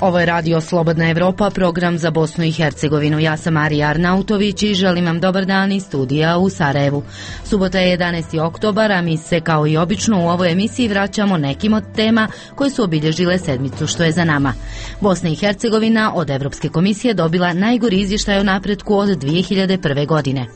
Ovo je Radio Slobodna Evropa, program za Bosnu i Hercegovinu. Ja sam Marija Arnautović i želim vam dobar dan iz studija u Sarajevu. Subota je 11. oktobar, a mi se kao i obično u ovoj emisiji vraćamo nekim od tema koje su obilježile sedmicu što je za nama. Bosna i Hercegovina od Evropske komisije dobila najgori izvještaj o napretku od 2001. godine.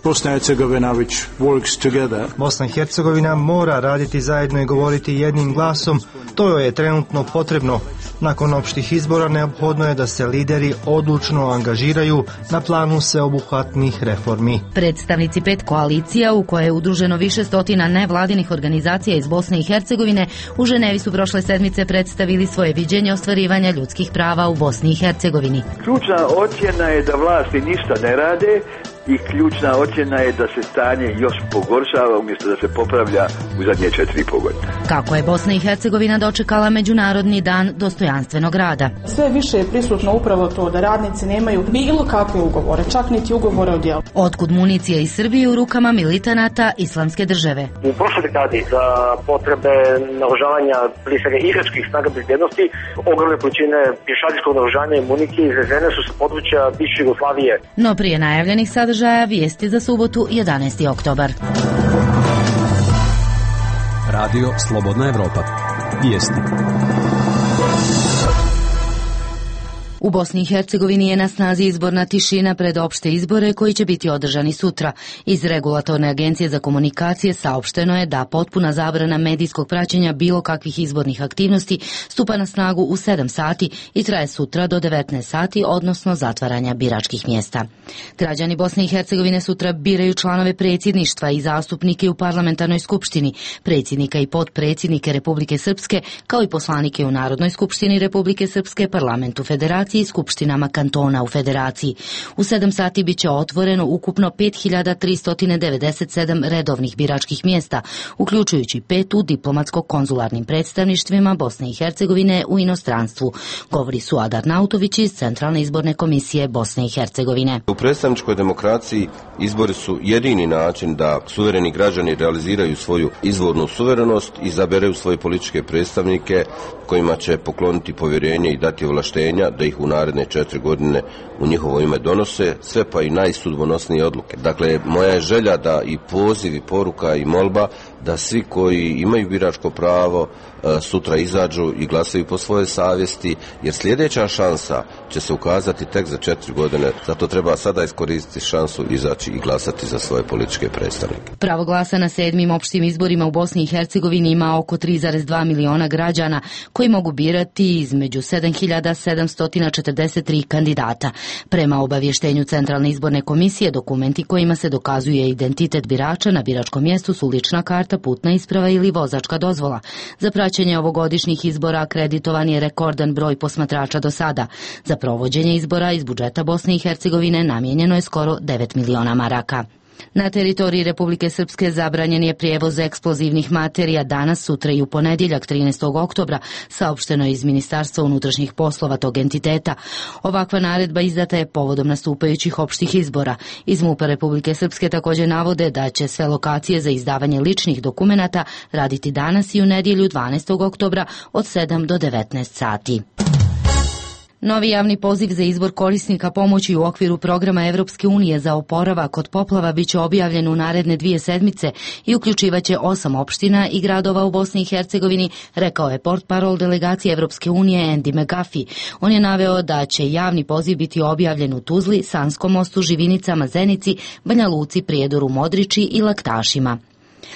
Bosna i Hercegovina mora raditi zajedno i govoriti jednim glasom. To joj je trenutno potrebno. Nakon opštih izbora neophodno je da se lideri odlučno angažiraju na planu sveobuhvatnih reformi. Predstavnici 5 koalicija u koje je udruženo više stotina nevladinih organizacija iz Bosne i Hercegovine u Ženevi su prošle sedmice predstavili svoje viđenje ostvarivanja ljudskih prava u Bosni i Hercegovini. Ključna ocjena je da vlasti ništa ne rade i ključna ocjena je da se stanje još pogoršava umjesto da se popravlja u zadnje 4,5 godine. Kako je Bosna i Hercegovina dočekala Međunarodni dan dostojanstvenog rada? Sve više je prisutno upravo to da radnici nemaju bilo kakve ugovore, čak niti ugovore o djelu. Otkud municija iz Srbije u rukama militanata Islamske države? U prošloj dekadi za potrebe naoružavanja prije svega iračkih snaga bezbjednosti ogromne količine pješadijskog naoružanja i municije izvezene su sa područja bivše Jugoslavije. No prije najavljenih sadržaja vijesti za subotu 11. oktobar. Radio Slobodna Evropa. Vijesti. U Bosni i Hercegovini je na snazi izborna tišina pred opšte izbore koji će biti održani sutra. Iz Regulatorne agencije za komunikacije saopšteno je da potpuna zabrana medijskog praćenja bilo kakvih izbornih aktivnosti stupa na snagu u 7 sati i traje sutra do 19 sati, odnosno zatvaranja biračkih mjesta. Građani Bosne i Hercegovine sutra biraju članove predsjedništva i zastupnike u parlamentarnoj skupštini, predsjednika i potpredsjednike Republike Srpske, kao i poslanike u Narodnoj skupštini Republike Srpske, parlamentu Federacije i skupštinama kantona u Federaciji. U 7 sati biće otvoreno ukupno 5397 redovnih biračkih mjesta, uključujući 5 u diplomatsko-konzularnim predstavništvima Bosne i Hercegovine u inostranstvu, govori Suad Arnautović iz Centralne izborne komisije Bosne i Hercegovine. U predstavničkoj demokraciji izbori su jedini način da suvereni građani realiziraju svoju izvornu suverenost i izaberaju svoje političke predstavnike kojima će pokloniti povjerenje i dati ovlaštenja da ih u naredne 4 godine u njihovo ime donose sve pa i najsudbonosnije odluke. Dakle, moja je želja da i poziv i poruka i molba da svi koji imaju biračko pravo sutra izađu i glasaju po svojoj savjesti, jer sljedeća šansa će se ukazati tek za 4 godine. Zato treba sada iskoristiti šansu, izaći i glasati za svoje političke predstavnike. Pravo glasa na 7. opštim izborima u Bosni i Hercegovini ima oko 3,2 miliona građana koji mogu birati između 7743 kandidata. Prema obavještenju Centralne izborne komisije, dokumenti kojima se dokazuje identitet birača na biračkom mjestu su lična karta, putna isprava ili vozačka dozvola. Za praćenje ovogodišnjih izbora akreditovan je rekordan broj posmatrača do sada. Za provođenje izbora iz budžeta Bosne i Hercegovine namijenjeno je skoro 9 miliona maraka. Na teritoriji Republike Srpske zabranjen je prijevoz eksplozivnih materija danas, sutra i u ponedjeljak 13. oktobra, saopšteno je iz Ministarstva unutrašnjih poslova tog entiteta. Ovakva naredba izdata je povodom nastupajućih opštih izbora. Iz MUP-a Republike Srpske također navode da će sve lokacije za izdavanje ličnih dokumenata raditi danas i u nedjelju 12. oktobra od 7 do 19 sati. Novi javni poziv za izbor korisnika pomoći u okviru programa Evropske unije za oporavak od poplava biće objavljen u naredne 2 sedmice i uključivaće 8 opština i gradova u Bosni i Hercegovini, rekao je portparol delegacije Evropske unije Andy McGuffey. On je naveo da će javni poziv biti objavljen u Tuzli, Sanskom mostu, Živinicama, Zenici, Banja Luci, Prijedoru, Modriči i Laktašima.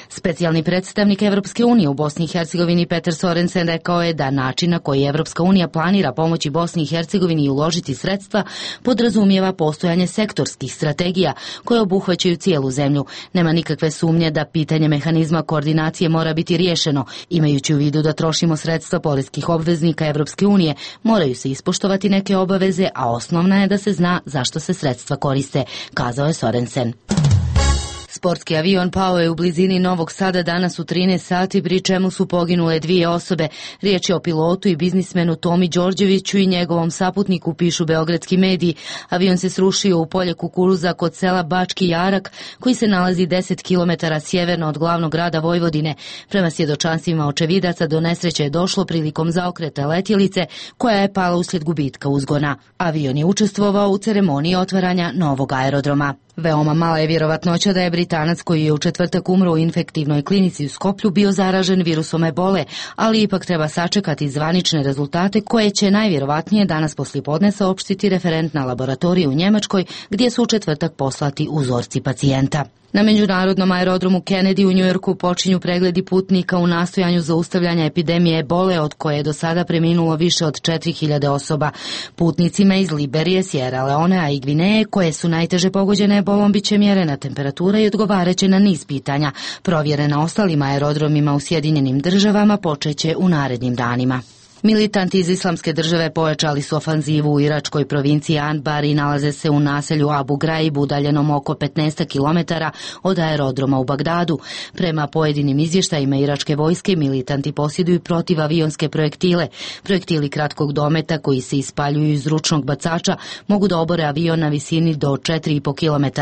Specijalni predstavnik Evropske unije u Bosni i Hercegovini Petar Sorensen rekao je da način na koji Evropska unija planira pomoći Bosni i Hercegovini i uložiti sredstva podrazumijeva postojanje sektorskih strategija koje obuhvaćaju cijelu zemlju. Nema nikakve sumnje da pitanje mehanizma koordinacije mora biti riješeno. Imajući u vidu da trošimo sredstva poreskih obveznika Evropske unije, moraju se ispoštovati neke obaveze, a osnovna je da se zna zašto se sredstva koriste, kazao je Sorensen. Sportski avion pao je u blizini Novog Sada danas u 13 sati, pri čemu su poginule 2 osobe. Riječ je o pilotu i biznismenu Tomi Đorđeviću i njegovom saputniku, pišu beogradski mediji. Avion se srušio u polje kukuruza kod sela Bački Jarak, koji se nalazi 10 km sjeverno od glavnog grada Vojvodine. Prema svjedočanstvima očevidaca, do nesreće je došlo prilikom zaokreta letjelice, koja je pala uslijed gubitka uzgona. Avion je učestvovao u ceremoniji otvaranja novog aerodroma. Veoma mala je vjerovatnoća da je Britanac koji je u četvrtak umro u infektivnoj klinici u Skoplju bio zaražen virusom ebole, ali ipak treba sačekati zvanične rezultate koje će najvjerovatnije danas poslijepodne saopštiti referentna laboratorija u Njemačkoj, gdje su u četvrtak poslati uzorci pacijenta. Na međunarodnom aerodromu Kennedy u Njujorku počinju pregledi putnika u nastojanju zaustavljanja epidemije ebole, od koje je do sada preminulo više od 4000 osoba. Putnicima iz Liberije, Sierra Leonea i Gvineje, koje su najteže pogođene ebolom, bit će mjerena temperatura i odgovaraće na niz pitanja. Provjere na ostalim aerodromima u Sjedinjenim Državama počeće u narednim danima. Militanti iz Islamske države pojačali su ofanzivu u iračkoj provinciji Anbar i nalaze se u naselju Abu Ghraib, udaljenom oko 15 km od aerodroma u Bagdadu. Prema pojedinim izvještajima iračke vojske, militanti posjeduju protivavionske projektile. Projektili kratkog dometa koji se ispaljuju iz ručnog bacača mogu da obore avion na visini do 4,5 km.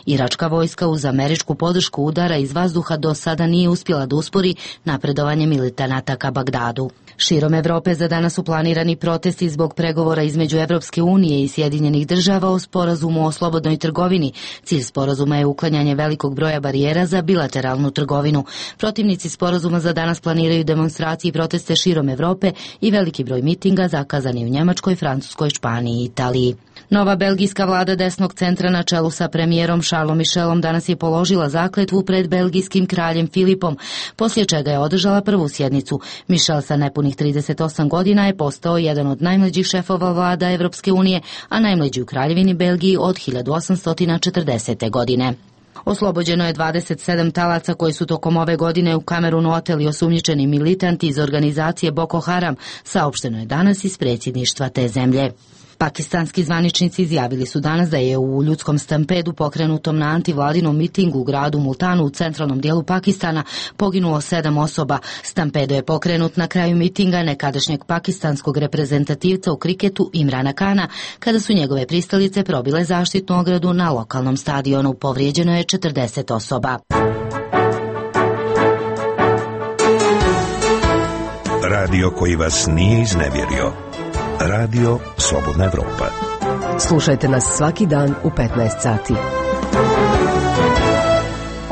Iračka vojska uz američku podršku udara iz vazduha do sada nije uspjela da uspori napredovanje militanata ka Bagdadu. Širom Evrope za danas su planirani protesti zbog pregovora između Evropske unije i Sjedinjenih Država o sporazumu o slobodnoj trgovini. Cilj sporazuma je uklanjanje velikog broja barijera za bilateralnu trgovinu. Protivnici sporazuma za danas planiraju demonstracije i proteste širom Evrope i veliki broj mitinga zakazani u Njemačkoj, Francuskoj, Španiji i Italiji. Nova belgijska vlada desnog centra na čelu sa premijerom Charlesom Michelom danas je položila zakletvu pred belgijskim kraljem Filipom, poslije čega je održala prvu sjednicu. Michel sa nepunih 38 godina je postao jedan od najmlađih šefova vlada Evropske unije, a najmlađi u Kraljevini Belgiji od 1840. godine. Oslobođeno je 27 talaca koji su tokom ove godine u Kamerunu oteli osumnjičeni militanti iz organizacije Boko Haram, saopšteno je danas iz predsjedništva te zemlje. Pakistanski zvaničnici izjavili su danas da je u ljudskom stampedu pokrenutom na antivladinom mitingu u gradu Multanu u centralnom dijelu Pakistana poginulo 7 osoba. Stampedo je pokrenut na kraju mitinga nekadašnjeg pakistanskog reprezentativca u kriketu Imrana Kana, kada su njegove pristalice probile zaštitnu ogradu na lokalnom stadionu. Povrijeđeno je 40 osoba. Radio koji vas nije iznevjerio. Radio Slobodna Evropa. Slušajte nas svaki dan u 15 sati.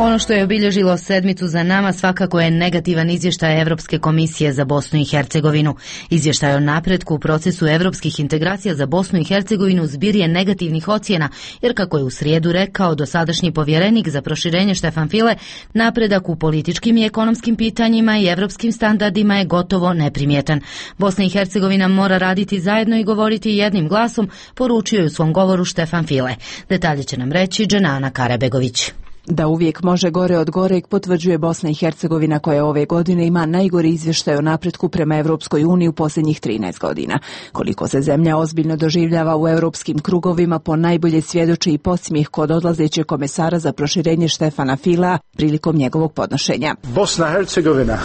Ono što je obilježilo sedmicu za nama svakako je negativan izvještaj Evropske komisije za Bosnu i Hercegovinu. Izvještaj o napretku u procesu evropskih integracija za Bosnu i Hercegovinu zbir je negativnih ocjena, jer kako je u srijedu rekao dosadašnji povjerenik za proširenje Štefan File, napredak u političkim i ekonomskim pitanjima i evropskim standardima je gotovo neprimjetan. Bosna i Hercegovina mora raditi zajedno i govoriti jednim glasom, poručio je u svom govoru Štefan File. Detalje će nam reći Dženana Karabegović. Da uvijek može gore od goreg potvrđuje Bosna i Hercegovina, koja ove godine ima najgori izvještaj o napretku prema Evropskoj uniji u posljednjih 13 godina. Koliko se zemlja ozbiljno doživljava u europskim krugovima ponajbolje svjedoči i podsmijeh kod odlazećeg komesara za proširenje Štefana Fila prilikom njegovog podnošenja. Bosna i Hercegovina.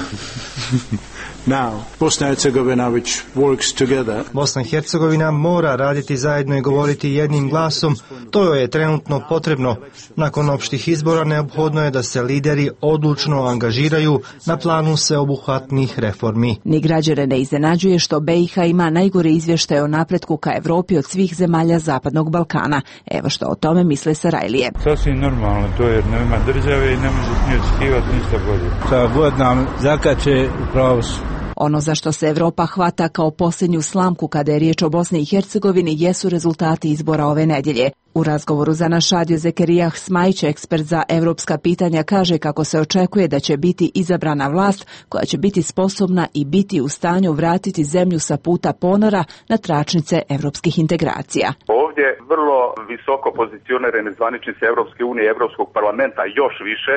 Now, Bosna i Hercegovina which works together. Bosna i Hercegovina mora raditi zajedno i govoriti jednim glasom. To joj je trenutno potrebno. Nakon opštih izbora neophodno je da se lideri odlučno angažiraju na planu sveobuhvatnih reformi. Ni građane ne iznenađuje što BiH ima najgori izvještaj o napretku ka Evropi od svih zemalja Zapadnog Balkana. Evo što o tome misle Sarajlije. Sasvim normalno, to je nema države i ne može ni očekivati ništa bolje. Šta god nam zakače upravo su. Ono za što se Evropa hvata kao posljednju slamku kada je riječ o Bosni i Hercegovini jesu rezultati izbora ove nedjelje. U razgovoru za naš radio Zekerijah Smajić, ekspert za evropska pitanja, kaže kako se očekuje da će biti izabrana vlast koja će biti sposobna i biti u stanju vratiti zemlju sa puta ponora na tračnice evropskih integracija. Ovdje vrlo visoko pozicionirane zvaničnice Evropske unije i Evropskog parlamenta, još više,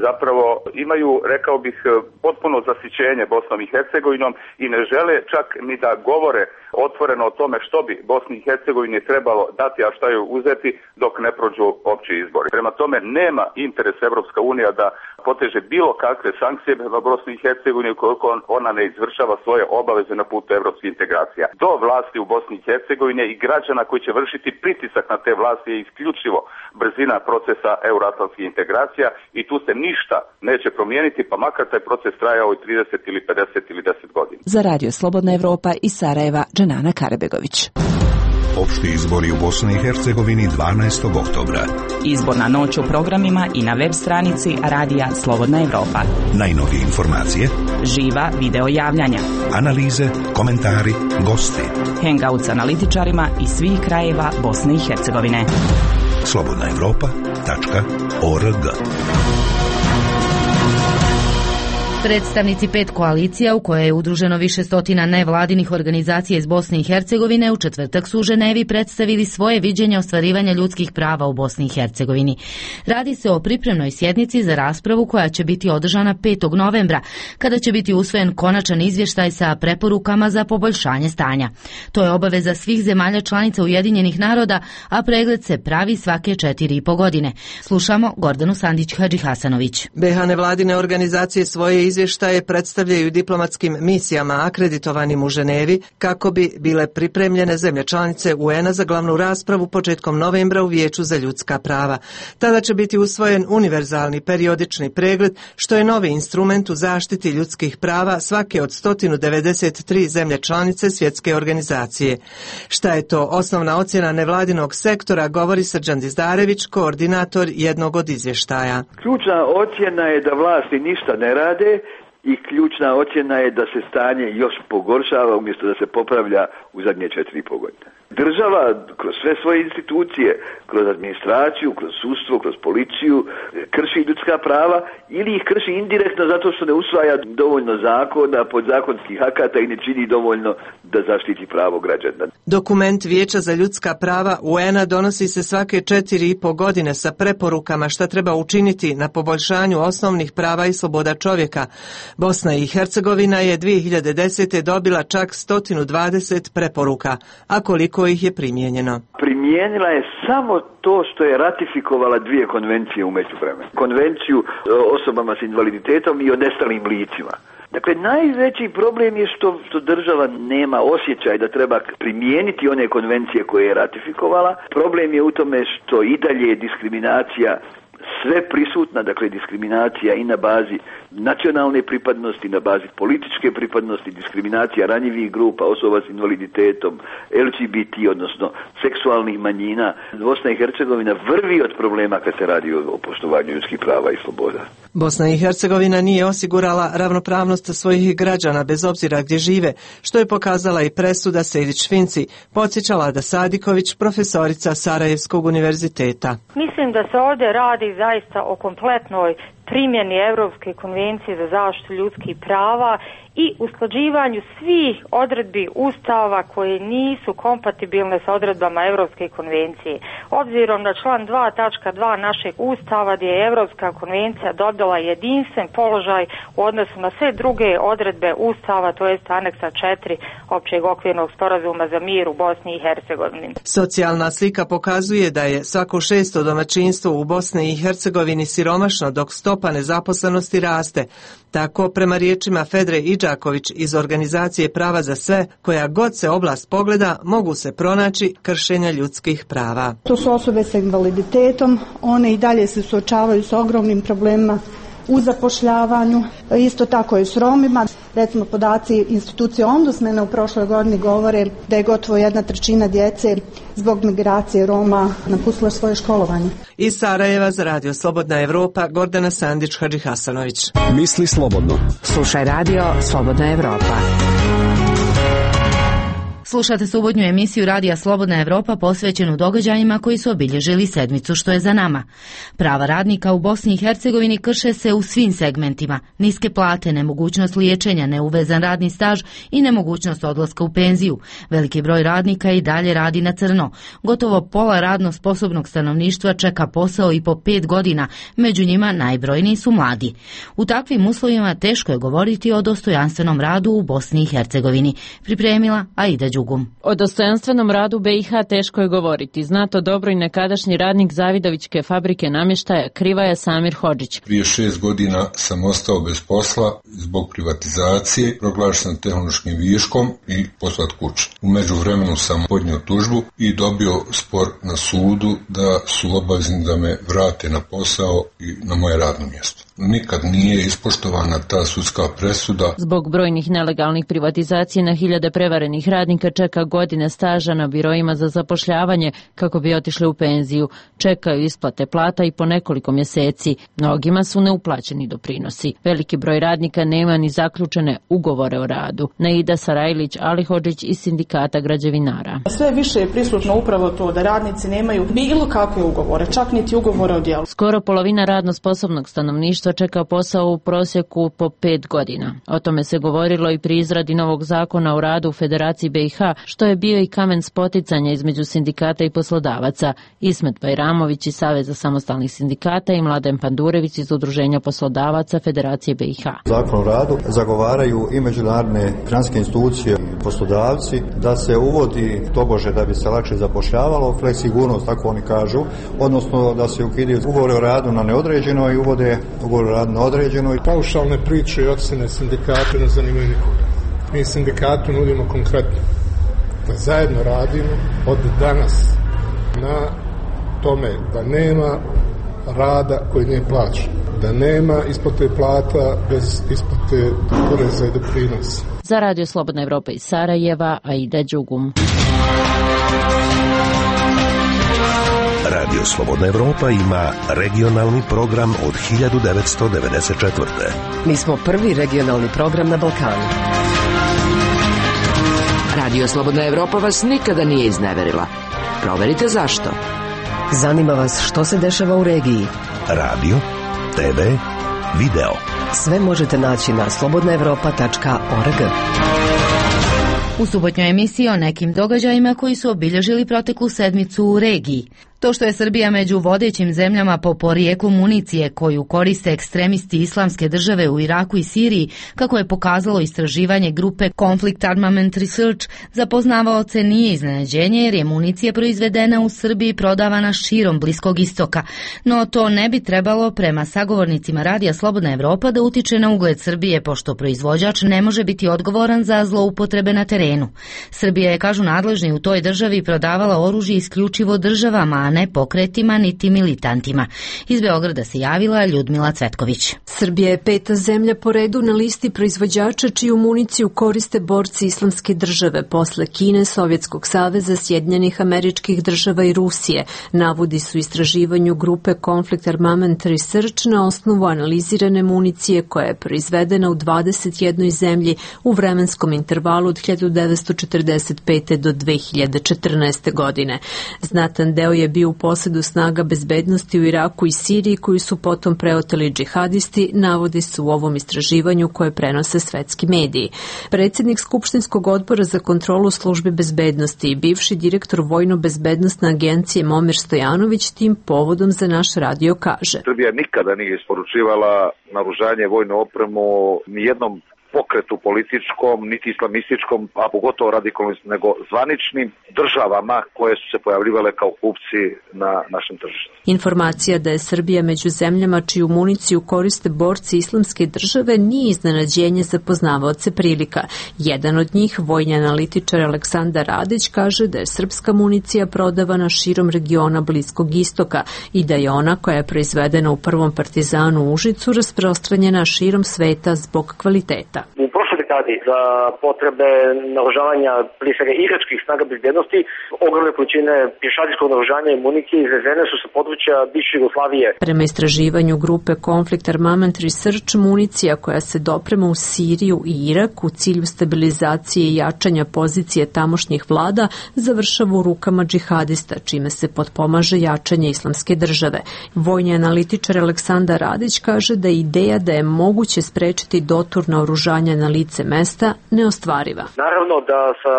zapravo imaju, rekao bih, potpuno zasićenje Bosnom i Hercegovinom i ne žele čak ni da govore otvoreno o tome što bi Bosni i Hercegovini trebalo dati, a šta joj uzeti, funkcionirati dok ne prođu opći izbori. Prema tome nema interes Evropska unija da poteže bilo kakve sankcije prema Bosni i Hercegovini ukoliko ona ne izvršava svoje obaveze na putu evropskih integracija. Do vlasti u Bosni i Hercegovini i građana koji će vršiti pritisak na te vlasti je isključivo brzina procesa euroatlantskih integracija i tu se ništa neće promijeniti, pa makar taj proces trajao i 30 ili 50 ili 10 godina. Za Radio Slobodna Evropa iz Sarajeva, Dženana Karebegović. Opšti izbori u Bosni i Hercegovini 12. oktobra. Izborna noć u programima i na web stranici Radija Slobodna Evropa. Najnovije informacije, živa video javljanja, analize, komentari, gosti, hangout s analitičarima iz svih krajeva Bosne i Hercegovine. slobodnaevropa.org. Predstavnici 5 koalicija u kojoj je udruženo više stotina nevladinih organizacija iz Bosne i Hercegovine u četvrtak su u Ženevi predstavili svoje viđenje ostvarivanja ljudskih prava u Bosni i Hercegovini. Radi se o pripremnoj sjednici za raspravu koja će biti održana 5. novembra, kada će biti usvojen konačan izvještaj sa preporukama za poboljšanje stanja. To je obaveza svih zemalja članica Ujedinjenih naroda, a pregled se pravi svake 4,5 godine. Slušamo Gordanu Sandić-Hadžihasanović. BiH nevladine organizacije svoje izvještaje predstavljaju diplomatskim misijama akreditovanim u Ženevi kako bi bile pripremljene zemlje članice UN-a za glavnu raspravu početkom novembra u Vijeću za ljudska prava. Tada će biti usvojen univerzalni periodični pregled, što je novi instrument u zaštiti ljudskih prava svake od 193 zemlje članice svjetske organizacije. Šta je to osnovna ocjena nevladinog sektora, govori Srđan Dizdarević, koordinator jednog od izvještaja. Ključna ocjena je da vlasti ništa ne rade i ključna ocjena je da se stanje još pogoršava umjesto da se popravlja u zadnje 4,5 godine. Država kroz sve svoje institucije, kroz administraciju, kroz sudstvo, kroz policiju krši ljudska prava ili ih krši indirektno zato što ne usvaja dovoljno zakona, podzakonskih akata i ne čini dovoljno da zaštiti pravo građana. Dokument Vijeća za ljudska prava UN-a donosi se svake 4,5 godine sa preporukama šta treba učiniti na poboljšanju osnovnih prava i sloboda čovjeka. Bosna i Hercegovina je 2010. dobila čak 120 preporuka, a koliko ih je primijenjeno? Primijenila je samo to što je ratifikovala 2 konvencije u međuvremenu. Konvenciju o osobama s invaliditetom i o nestalim licima. Dakle, najveći problem je što država nema osjećaj da treba primijeniti one konvencije koje je ratifikovala. Problem je u tome što i dalje je diskriminacija sve prisutna, dakle diskriminacija i na bazi nacionalne pripadnosti, na bazi političke pripadnosti, diskriminacija ranjivih grupa, osoba s invaliditetom, LGBT, odnosno seksualnih manjina. Bosna i Hercegovina vrvi od problema kad se radi o poštovanju ljudskih prava i sloboda. Bosna i Hercegovina nije osigurala ravnopravnost svojih građana bez obzira gdje žive, što je pokazala i presuda Sejdić-Finci, podsjeća Lada Sadiković, profesorica Sarajevskog univerziteta. Mislim da se ovdje radi zaista o kompletnoj primjeni Europske konvencije za zaštitu ljudskih prava i usklađivanju svih odredbi Ustava koje nisu kompatibilne sa odredbama Europske konvencije. Obzirom na član 2.2 našeg Ustava gdje je Europska konvencija dobila jedinstven položaj u odnosu na sve druge odredbe Ustava, to jest aneksa 4 općeg okvirnog sporazuma za mir u Bosni i Hercegovini. Socijalna slika pokazuje da je svako 6. domaćinstvo u Bosni i Hercegovini siromašno, dok stopa nezaposlenosti raste. Tako, prema riječima Fedre Idžaković iz organizacije Prava za sve, koja god se oblast pogleda, mogu se pronaći kršenja ljudskih prava. To su osobe sa invaliditetom, one i dalje se suočavaju s ogromnim problemima u zapošljavanju, isto tako i s Romima. Recimo, podaci institucije Ombudsmana u prošloj godini govore da je gotovo 1/3 djece zbog migracije Roma napustila svoje školovanje. Iz Sarajeva za Radio Slobodna Evropa, Gordana Sandić-Hadžihasanović. Misli slobodno. Slušaj Radio Slobodna Evropa. Slušate subotnju emisiju Radija Slobodna Evropa posvećenu događajima koji su obilježili sedmicu što je za nama. Prava radnika u Bosni i Hercegovini krše se u svim segmentima. Niske plate, nemogućnost liječenja, neuvezan radni staž i nemogućnost odlaska u penziju. Veliki broj radnika i dalje radi na crno. Gotovo pola radno sposobnog stanovništva čeka posao i po 5 godina, među njima najbrojniji su mladi. U takvim uslovima teško je govoriti o dostojanstvenom radu u Bosni i Hercegovini. Pripremila Aida Đukić. Đugum. O dostojanstvenom radu BiH teško je govoriti. Zna to dobro i nekadašnji radnik Zavidovićke fabrike namještaja Krivaja Samir Hodžić. Prije 6 godina sam ostao bez posla zbog privatizacije, proglašen tehnološkim viškom i poslat kući. U međuvremenu sam podnio tužbu i dobio spor na sudu da su obavezni da me vrate na posao i na moje radno mjesto. Nikad nije ispoštovana ta sudska presuda. Zbog brojnih nelegalnih privatizacija na hiljade prevarenih radnika čeka godine staža na biroima za zapošljavanje kako bi otišli u penziju. Čekaju isplate plata i po nekoliko mjeseci. Mnogima su neuplaćeni doprinosi. Veliki broj radnika nema ni zaključene ugovore o radu. Naida Sarajlić Alihodžić iz sindikata građevinara. Sve više je prisutno upravo to da radnici nemaju bilo kakve ugovore, čak niti ugovore o djelu. Skoro polovina radno sposobnog stanovništva čeka posao u prosjeku po 5 godina. O tome se govorilo i pri izradi novog zakona o radu u Federaciji BiH, što je bio i kamen spoticanja između sindikata i poslodavaca. Ismet Bajramović iz Saveza samostalnih sindikata i Mladen Pandurević iz Udruženja poslodavaca Federacije BiH. Zakon o radu zagovaraju i međunarodne financijske institucije i poslodavci da se uvodi tobože da bi se lakše zapošljavalo, fleksigurnost, tako oni kažu, odnosno da se ukidaju ugovore o radu na neodređeno i uvode ugovor o radu na određeno. Paušalne priče i ocjene sindikata ne zanimaju nikoga. Mi sindikatu nudimo konkretno da zajedno radimo od danas na tome da nema rada koji nije plaćen, da nema isplate plata bez isplate poreza i doprinosa. Za Radio Slobodna Evropa iz Sarajeva, Aida Đugum. Radio Slobodna Evropa ima regionalni program od 1994. Mi smo prvi regionalni program na Balkanu. Radio Slobodna Evropa vas nikada nije izneverila. Proverite zašto. Zanima vas što se dešava u regiji. Radio, TV, video. Sve možete naći na slobodnaevropa.org. U subotnjoj emisiji o nekim događajima koji su obilježili proteklu sedmicu u regiji. To što je Srbija među vodećim zemljama po porijeklu municije koju koriste ekstremisti Islamske države u Iraku i Siriji, kako je pokazalo istraživanje grupe Conflict Armament Research, za poznavaoce nije iznenađenje jer je municija proizvedena u Srbiji prodavana širom Bliskog istoka. No to ne bi trebalo prema sagovornicima Radija Slobodna Evropa da utiče na ugled Srbije, pošto proizvođač ne može biti odgovoran za zloupotrebe na terenu. Srbija je, kažu nadležni u toj državi, prodavala oružje isključivo državama, a ne pokretima niti militantima. Iz Beograda se javila Ljudmila Cvetković. Srbija je 5. zemlja po redu na listi proizvođača čiju municiju koriste borci Islamske države posle Kine, Sovjetskog saveza, Sjedinjenih Američkih Država i Rusije, navodi su istraživanju grupe Conflict Armament Research na osnovu analizirane municije koja je proizvedena u 21 zemlji u vremenskom intervalu od 1945. do 2014. godine. Znatan deo je bio u posjedu snaga bezbednosti u Iraku i Siriji koju su potom preoteli džihadisti, navodi se u ovom istraživanju koje prenose svetski mediji. Predsjednik Skupštinskog odbora za kontrolu službe bezbednosti i bivši direktor Vojno-bezbednostne agencije Momir Stojanović tim povodom za naš radio kaže. Srbija nikada nije isporučivala naoružanje, vojnu opremu nijednom pokretu političkom, niti islamističkom, a pogotovo radikalnim, nego zvaničnim državama koje su se pojavljivale kao kupci na našem tržištu. Informacija da je Srbija među zemljama čiju municiju koriste borci Islamske države nije iznenađenje za poznavaoce prilika. Jedan od njih, vojni analitičar Aleksandar Radić, kaže da je srpska municija prodavana širom regiona Bliskog istoka i da je ona koja je proizvedena u prvom partizanu u Užicu rasprostranjena širom sveta zbog kvaliteta. U prošloj dekadi za potrebe naoružavanja prije svega iračkih snaga bezbednosti ogromne količine pješadijskog naoružanja i municije izvezene su sa područja bivše Jugoslavije. Prema istraživanju grupe Conflict Armament Research, municija koja se doprema u Siriju i Irak u cilju stabilizacije i jačanja pozicije tamošnjih vlada završava u rukama džihadista, čime se potpomaže jačanje Islamske države. Vojni analitičar Aleksandar Radić kaže da je ideja da je moguće sprečiti dotur naoružavanja slanja na lice mesta neostvariva. Naravno da sa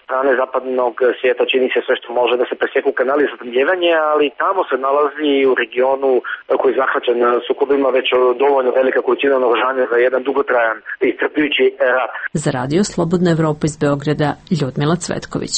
strane zapadnog svijeta čini se sve što može da se presjeku kanali za snabdijevanje, ali tamo se nalazi u regionu koji je zahvaćen sukobima već dovoljno velika količina naoružanja za jedan dugotrajan i iscrpljujući rat. Za Radio Slobodna Evropa iz Beograda, Ljudmila Cvetković.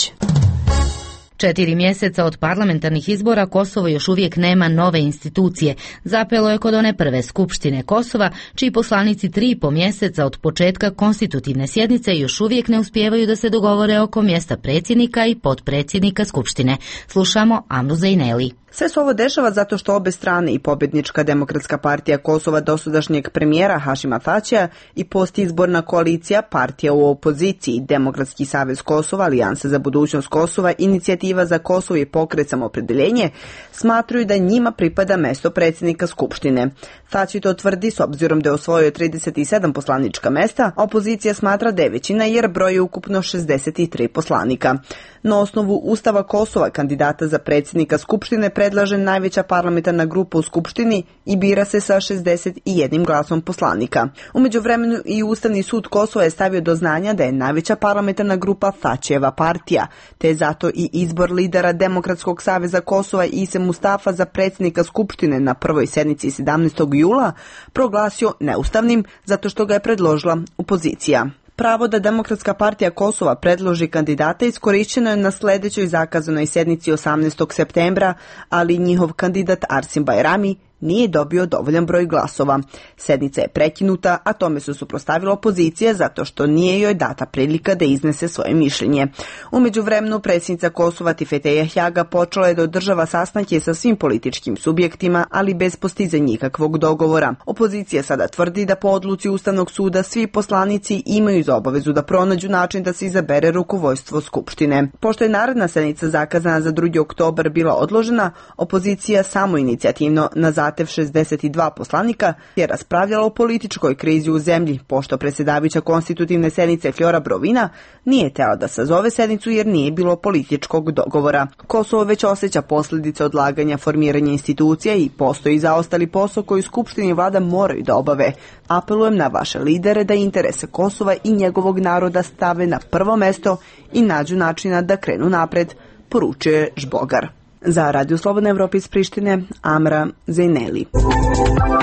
4 mjeseca od parlamentarnih izbora Kosovo još uvijek nema nove institucije. Zapelo je kod one prve skupštine Kosova, čiji poslanici 3,5 mjeseca od početka konstitutivne sjednice još uvijek ne uspijevaju da se dogovore oko mjesta predsjednika i potpredsjednika skupštine. Slušamo Amru Zejneli. Sve se ovo dešava zato što obe strane, i pobjednička Demokratska partija Kosova dosadašnjeg premijera Hašima Tačija i postizborna koalicija partija u opoziciji, Demokratski savez Kosova, Alijansa za budućnost Kosova, Inicijativa za Kosovo i Pokret Samoopredeljenje, smatruju da njima pripada mesto predsjednika Skupštine. Tači to tvrdi s obzirom da je osvojio 37 poslanička mesta, a opozicija smatra da je većina jer broji ukupno 63 poslanika. Na osnovu Ustava Kosova kandidata za predsjednika Skupštine predlaže najveća parlamentarna grupa u Skupštini i bira se sa 61 glasom poslanika. U međuvremenu i Ustavni sud Kosova je stavio do znanja da je najveća parlamentarna grupa Tačijeva partija, te je zato i izbor lidera Demokratskog saveza Kosova Ise Mustafa za predsjednika Skupštine na prvoj sjednici 17. jula proglasio neustavnim zato što ga je predložila opozicija. Pravo da Demokratska partija Kosova predloži kandidata iskorišćeno je na sljedećoj zakazanoj sjednici 18. septembra, ali njihov kandidat Arsim Bajrami nije dobio dovoljan broj glasova. Sjednica je prekinuta, a tome su suprotstavila opozicija zato što nije joj data prilika da iznese svoje mišljenje. U međuvremenu predsjednica Kosova Tifeteja Hjaga počela je da održava sastanke sa svim političkim subjektima, ali bez postizanja nikakvog dogovora. Opozicija sada tvrdi da po odluci Ustavnog suda svi poslanici imaju za obavezu da pronađu način da se izabere rukovodstvo Skupštine. Pošto je naredna sjednica zakazana za 2. oktobar bila odložena, opozicija samoinicijativno na zahtev 62 poslanika je raspravljala o političkoj krizi u zemlji, pošto predsjedavajuća konstitutivne sjednice Flora Brovina nije htjela da sazove sjednicu jer nije bilo političkog dogovora. Kosovo već osjeća posljedice odlaganja formiranja institucija i postoji zaostali posao koji Skupštini i vlada moraju da obave. Apelujem na vaše lidere da interese Kosova i njegovog naroda stave na prvo mesto i nađu načina da krenu napred, poručuje Žbogar. Za Radio Slobodna Evropa iz Prištine, Amra Zejneli.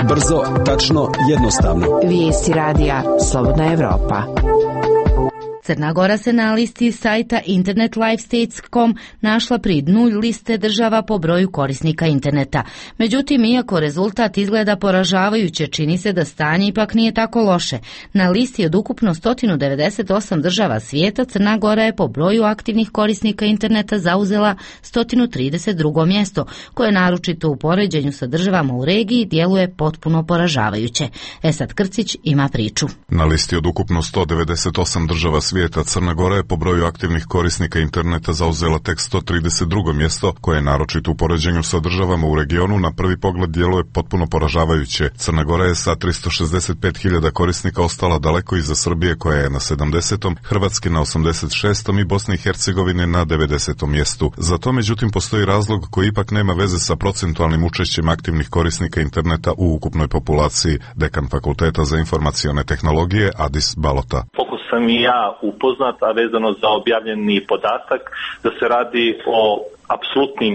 Brzo, tačno, jednostavno. Vijesti radija Slobodna Evropa. Crna Gora se na listi sajta internetlifestates.com našla pri dnu liste država po broju korisnika interneta. Međutim, iako rezultat izgleda poražavajuće, čini se da stanje ipak nije tako loše. Na listi od ukupno 198 država svijeta, Crna Gora je po broju aktivnih korisnika interneta zauzela 132. mjesto, koje naročito u poređenju sa državama u regiji djeluje potpuno poražavajuće. Esad Krcić ima priču. Na listi od ukupno 198 država svijeta, Crna Gora je po broju aktivnih korisnika interneta zauzela tek 132. mjesto, koje je naročito u poređenju sa državama u regionu na prvi pogled djeluje potpuno poražavajuće. Crna Gora je sa 365.000 korisnika ostala daleko iza Srbije koja je na 70., Hrvatske na 86. i Bosne i Hercegovine na 90. mjestu. Za to međutim postoji razlog koji ipak nema veze sa procentualnim učešćem aktivnih korisnika interneta u ukupnoj populaciji. Dekan Fakulteta za informacione tehnologije Adis Balota. Sam i ja upoznat, a vezano za objavljeni podatak da se radi o apsolutnim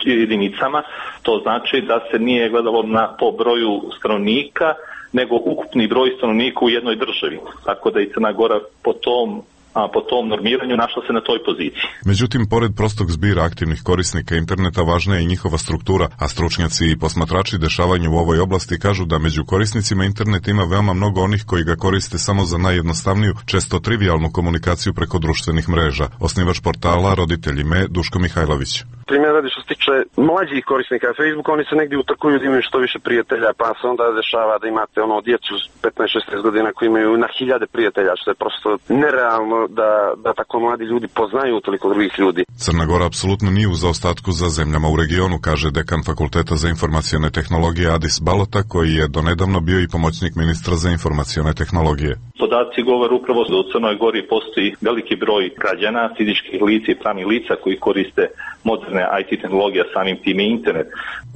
jedinicama, to znači da se nije gledalo po broju stanovnika, nego ukupni broj stanovnika u jednoj državi. Tako da i Crna Gora po tom normiranju našla se na toj poziciji. Međutim, pored prostog zbira aktivnih korisnika interneta, važna je i njihova struktura, a stručnjaci i posmatrači dešavanja u ovoj oblasti kažu da među korisnicima interneta ima veoma mnogo onih koji ga koriste samo za najjednostavniju, često trivijalnu komunikaciju preko društvenih mreža. Osnivač portala Roditelji me, Duško Mihajlović. Primjer radi što se tiče mlađih korisnika Facebooka, oni se negdje utrkuju da imaju što više prijatelja, pa se onda dešava da imate djecu 15-16 godina koji imaju na hiljade prijatelja, što je prosto nerealno da tako mladi ljudi poznaju toliko drugih ljudi. Crna Gora apsolutno nije u zaostatku za zemljama u regionu, kaže dekan Fakulteta za informacione tehnologije Adis Balota, koji je donedavno bio i pomoćnik ministra za informacione tehnologije. Podaci govore upravo da u Crnoj Gori postoji veliki broj građana, fizičkih lica i pravnih lica koji koriste moderne IT tehnologija, samim tim i internet.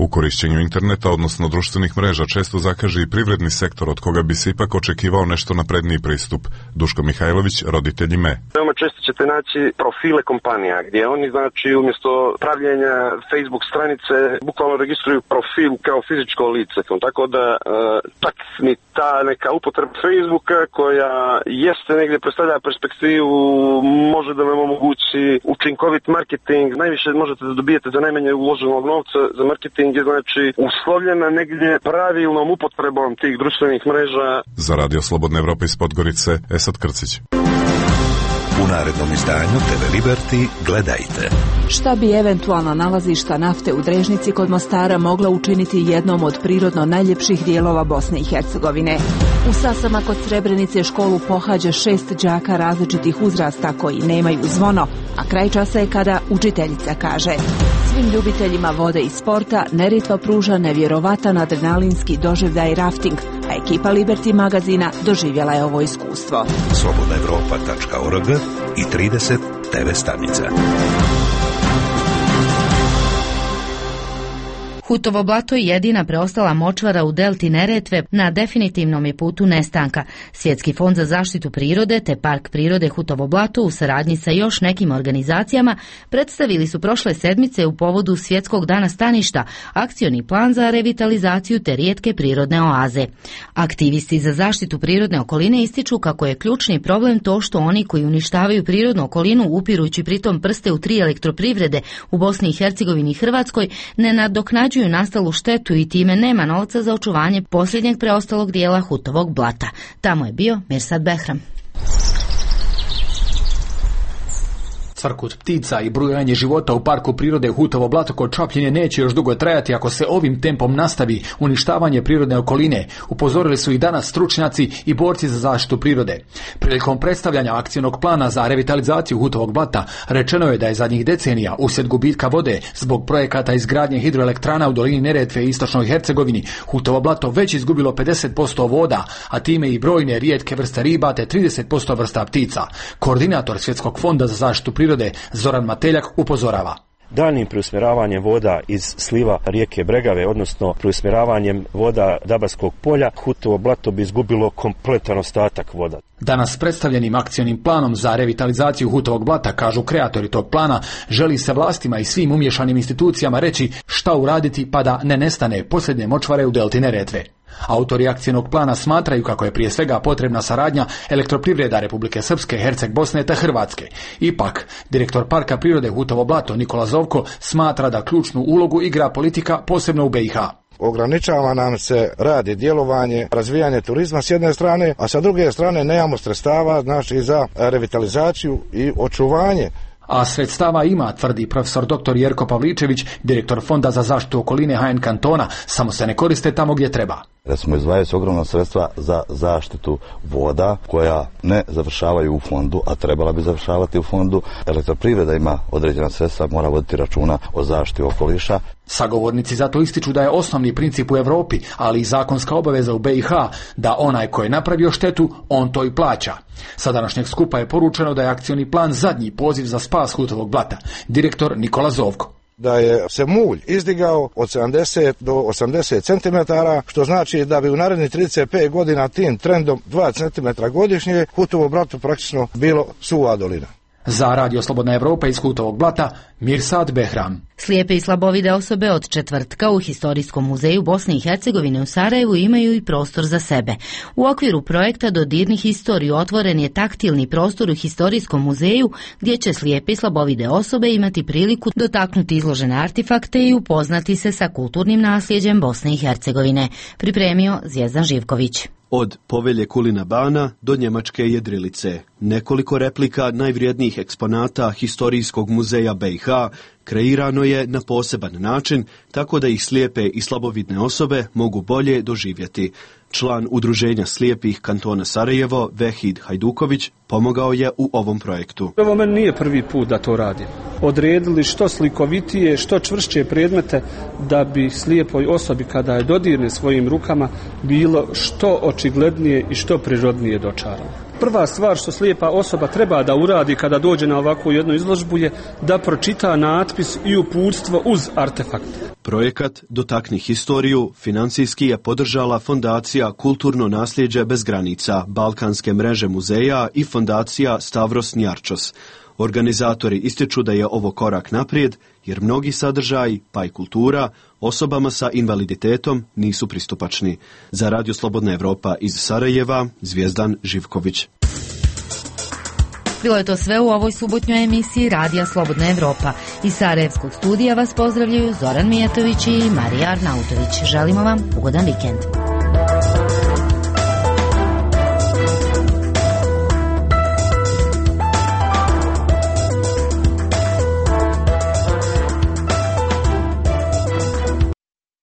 U korišćenju interneta, odnosno društvenih mreža, često zakaže i privredni sektor od koga bi se ipak očekivao nešto napredniji pristup. Duško Mihajlović, roditelj IME. Veoma često ćete naći profile kompanija gdje oni znači umjesto pravljenja Facebook stranice bukvalno registruju profil kao fizičko lice. Tako da tak ni ta neka upotreba Facebooka koja jeste negdje predstavlja perspektivu, može da vam omogući učinkovit marketing. Najviše možete da dobijete za najmanje uloženog novca za marketing je znači uslovljena negdje pravilnom upotrebom tih društvenih mreža. Za Radio Slobodna Evropa iz Podgorice, Esad Krcić. U narednom izdanju TV Liberty gledajte. Šta bi eventualna nalazišta nafte u Drežnici kod Mostara mogla učiniti jednom od prirodno najljepših dijelova Bosne i Hercegovine? U Sasama kod Srebrenice školu pohađa 6 đaka različitih uzrasta koji nemaju zvono, a kraj časa je kada učiteljica kaže: svim ljubiteljima vode i sporta Neretva pruža nevjerovatan adrenalinski doživljaj rafting, a ekipa Liberty magazina doživjela je ovo iskustvo. slobodnaevropa.org i 30 TV stanica. Hutovo blato je jedina preostala močvara u delti Neretve na definitivnom je putu nestanka. Svjetski fond za zaštitu prirode te Park prirode Hutovo blato u saradnji sa još nekim organizacijama predstavili su prošle sedmice u povodu Svjetskog dana staništa akcioni plan za revitalizaciju te rijetke prirodne oaze. Aktivisti za zaštitu prirodne okoline ističu kako je ključni problem to što oni koji uništavaju prirodnu okolinu upirujući pritom prste u 3 elektroprivrede u Bosni i Hercegovini i Hrvatskoj ne nadoknađuju nastalu štetu i time nema novca za očuvanje posljednjeg preostalog dijela Hutovog blata. Tamo je bio Mirsad Behram. Cvrkut ptica i brujanje života u parku prirode Hutovo blato kod Čapljine neće još dugo trajati ako se ovim tempom nastavi uništavanje prirodne okoline, upozorili su i danas stručnjaci i borci za zaštitu prirode. Prilikom predstavljanja akcijnog plana za revitalizaciju Hutovog blata rečeno je da je zadnjih decenija uslijed gubitka vode zbog projekata izgradnje hidroelektrana u dolini Neretve i istočnoj Hercegovini Hutovo blato već izgubilo 50% voda, a time i brojne rijetke vrste riba te 30% vrsta ptica. Koordinator Svjetskog fonda za zaštitu prirode Zoran Mateljak upozorava. Daljnim preusmjeravanjem voda iz sliva rijeke Bregave, odnosno preusmjeravanjem voda Dabarskog polja, Hutovo blato bi izgubilo kompletan ostatak voda. Danas predstavljenim akcionim planom za revitalizaciju Hutovog blata, kažu kreatori tog plana, želi se vlastima i svim umješanim institucijama reći šta uraditi pa da ne nestane posljednje močvare u delti Neretve. Autori akcijnog plana smatraju kako je prije svega potrebna saradnja elektroprivreda Republike Srpske, Herceg Bosne te Hrvatske. Ipak, direktor Parka prirode Hutovo blato Nikola Zovko smatra da ključnu ulogu igra politika posebno u BiH. Ograničava nam se rad i djelovanje, razvijanje turizma s jedne strane, a sa druge strane nemamo sredstava znači za revitalizaciju i očuvanje. A sredstava ima, tvrdi profesor dr. Jerko Pavličević, direktor Fonda za zaštitu okoline HN kantona, samo se ne koriste tamo gdje treba. Recimo, izdvajaju se ogromna sredstva za zaštitu voda koja ne završavaju u fondu, a trebala bi završavati u fondu. Elektroprivreda ima određena sredstva, mora voditi računa o zaštiti okoliša. Sagovornici zato ističu da je osnovni princip u Europi, ali i zakonska obaveza u BiH, da onaj ko je napravio štetu, on to i plaća. Sa današnjeg skupa je poručeno da je akcioni plan zadnji poziv za spas Hutovog blata. Direktor Nikola Zovko. Da je se mulj izdigao od 70 do 80 cm, što znači da bi u narednih 35 godina tim trendom 2 cm godišnje Hutovo blato praktično bilo suva dolina. Za Radio Slobodna Evropa iz Hutovog blata, Mirsad Behram. Slijepe i slabovide osobe od četvrtka u Historijskom muzeju Bosne i Hercegovine u Sarajevu imaju i prostor za sebe. U okviru projekta Dodirni historiju otvoren je taktilni prostor u Historijskom muzeju gdje će slijepe i slabovide osobe imati priliku dotaknuti izložene artefakte i upoznati se sa kulturnim nasljeđem Bosne i Hercegovine. Pripremio Zvjezdan Živković. Od Povelje Kulina Bana do Njemačke jedrilice, nekoliko replika najvrijednijih eksponata Historijskog muzeja BiH kreirano je na poseban način, tako da ih slijepe i slabovidne osobe mogu bolje doživjeti. Član Udruženja slijepih kantona Sarajevo, Vehid Hajduković, pomogao je u ovom projektu. Ovo meni nije prvi put da to radim. Odredili što slikovitije, što čvršće predmete da bi slijepoj osobi kada je dodirne svojim rukama bilo što očiglednije i što prirodnije dočarano. Prva stvar što slijepa osoba treba da uradi kada dođe na ovakvu jednu izložbu je da pročita natpis i uputstvo uz artefakt. Projekat Dotakni historiju financijski je podržala Fondacija Kulturno nasljeđe bez granica, Balkanske mreže muzeja i Fondacija Stavros Njarčos. Organizatori ističu da je ovo korak naprijed, jer mnogi sadržaji, pa i kultura, osobama sa invaliditetom nisu pristupačni. Za Radio Slobodna Evropa iz Sarajeva, Zvijezdan Živković. Bilo je to sve u ovoj subotnjoj emisiji Radija Slobodna Evropa. Iz Sarajevskog studija vas pozdravljaju Zoran Mijetović i Marija Arnautović. Želimo vam ugodan vikend.